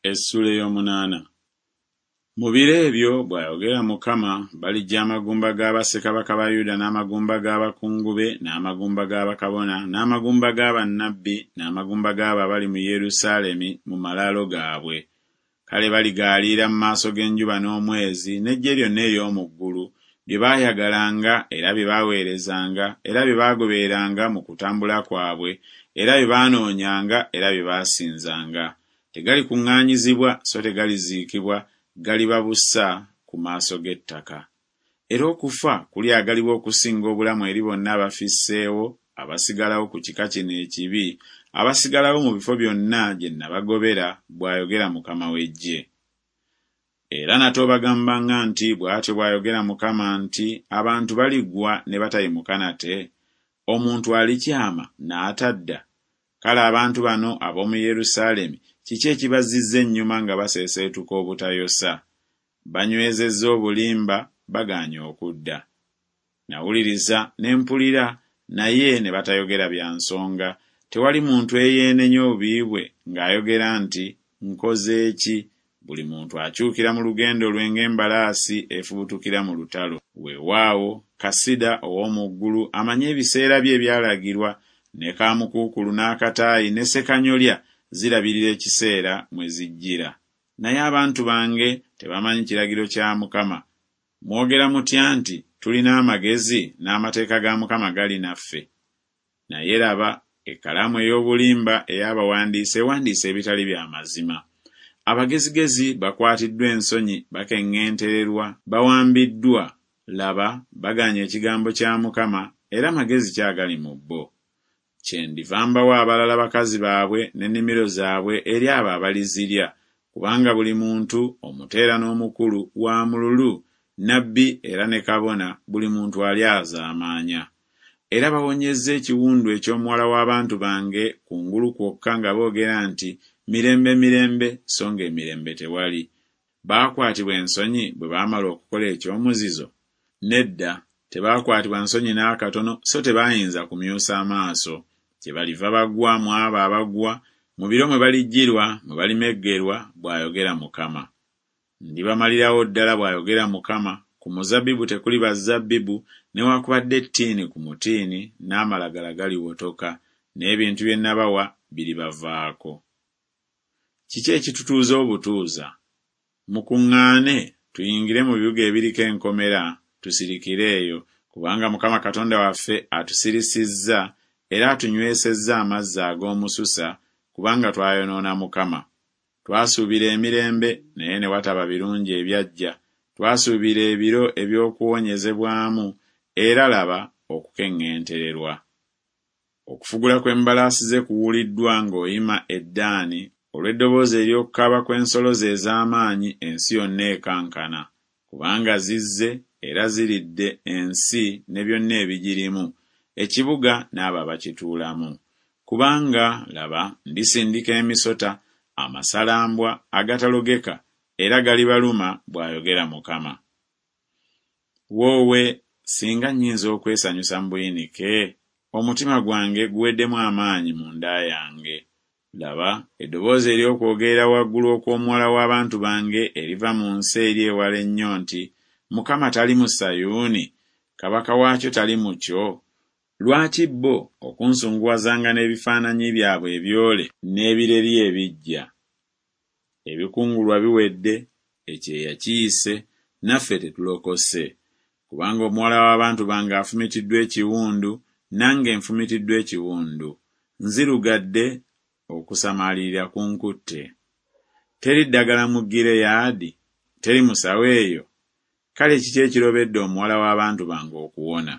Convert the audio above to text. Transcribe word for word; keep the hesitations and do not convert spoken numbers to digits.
Essuula ey'omunaana. Mu biro ebyo, bw'ayogera Mukama, baliggya amagumba ga bassekabaka ba Yuda n'amagumba g'abakungu be n'amagumba ga bakabona n'amagumba ga bannabbi n'amagumba g'abo abali mu Yerusaalemi mu malaalo gaabwe. Kale baligaaliira mu maaso g'enjuba n'omwezi n'eggye lyonna ery'omu ggulu, bye baayagalanga era bye baaweerezanga era bye baagobereranga mu kutambula kwabwe era bye baanoonyanga era bye baasinzanga. Tegalikuŋŋaanyizibwa so tegaliziikibwa, galiba busa ku maaso g'ettaka. Era okufa kulyagalibwa okusinga obulamu eri bonna abafisseewo abasigalawo ku kika kino ekibi, abasigalawo mu bifo byonna gye nabagobera, bw'ayogera Mukama w'eggye. Era nate obagambanga nti, Bw'atyo bw'ayogera Mukama nti, Abantu baligwa ne batayimuka nate? Omuntu alikyama n'atadda? Kale abantu bano ab'omu Yerusaalemi kiki ekibazzizza ennyuma nga baseeseetuka obutayosa? Banywezezza obulimba, bagaanye okudda. Nawuliriza ne mpulira, naye ne batayogera bya nsonga. Tewali muntu eyeenenya obubi bwe ng'ayogera nti, Nkoze ki? Buli muntu akyukira mu lugendo lwe ng'embalaasi efubutukira mu lutalo. Weewaawo, Kasida ow'omu ggulu amanyi ebiseera bye ebyalagirwa, ne kaamukuukulu n'akataayi ne ssekanyolya zirabirira ekiseera mwe zijjira. Naye abantu bange tebamanyi kiragiro kya Mukama. Mwogera mutya nti, Tulina amagezi, n'amateeka ga Mukama gali naffe? Naye laba, ekkalaamu ey'obulimba ey'abawandiisi ewandiise ebitali bya mazima. Abagezigezi bakwatiddwa ensonyi, bakeŋŋentererwa, bawambiddwa. Laba, bagaanye ekigambo kya Mukama, era magezi ki agali mu bo? Kyendiva mbawa abalala bakazi baabwe n'ennimiro zaabwe eri abo abalizirya, kubanga buli muntu, omuto era n'omukulu, wa mululu, nnabbi era ne kabona, buli muntu alyazaamaanya. Era bawonyezza ekiwundu eky'omuwala w'abantu bange kungulu kwokka nga boogera nti, Mirembe, mirembe, so ng'emirembe tewali. Baakwatibwa ensonyi bwe baamala okukola eky'omuzizo? Nedda, tebaakwatibwa nsonyi n'akatono, so tebaayinza kumyusa amaaso. Kyebaliva bagwa mu abo abagwa, mu biro mwe balijjirwa, mwe balimeggerwa, bw'ayogera Mukama. Ndibamalirawo ddala, bw'ayogera Mukama, ku muzabbibu tekuliba zabbibu, newaakubadde ettiini ku mutiini, n'amalagala galiwotoka, n'ebintu bye nabawa biribavaako. Kiki ekitutuuza obutuuza? Mukuŋŋaane, tuyingire mu bibuga ebiriko enkomera, tusirikire eyo, kubanga Mukama Katonda waffe atusirisizza era atunywesezza amazzi ag'omususa, kubanga twayonoona Mukama. Twasuubira emirembe, naye ne wataba birungi ebyajja, twasuubira ebiro eby'okuwonyezebwamu, era laba okukeŋŋentererwa. Okufugula kw'embalaasi ze kuwuliddwa ng'oyima e Ddaani, olw'eddoboozi ery'okukaaba kw'ensolo ze ez'amaanyi ensi yonna ekankana. Kubanga zizze era ziridde ensi ne byonna ebigirimu, ekibuga n'abo abakituulamu. Kubanga, laba, ndisindika emisota, amasalambwa agatalogeka, era galibaluma, bw'ayogera Mukama. Woowe, singa nnyinza okwesanyusa mu buyinike! Omutima gwange guweddemu amaanyi munda yange. Laba, eddoboozi ery'okwogerera waggulu okw'omuwala w'abantu bange eriva mu nsi eri ewala ennyo nti, Mukama tali mu Sayuuni? Kabaka waakyo tali mu kyo? Lwaki bo okunsunguwazanga n'ebifaananyi byabwe ebyole n'ebireri ebiggya? Ebikungulwa biwedde, ekyeya kiyise, naffe tetulokose. Kubanga omuwala w'abantu bange afumitiddwa ekiwundu, nange nfumitiddwa ekiwundu. Nzirugadde, okusamaalirira kunkutte. Teri ddagala mu Gireyaadi? Teri musawo eyo? Kale kiki ekirobedde omuwala w'abantu bange okuwona?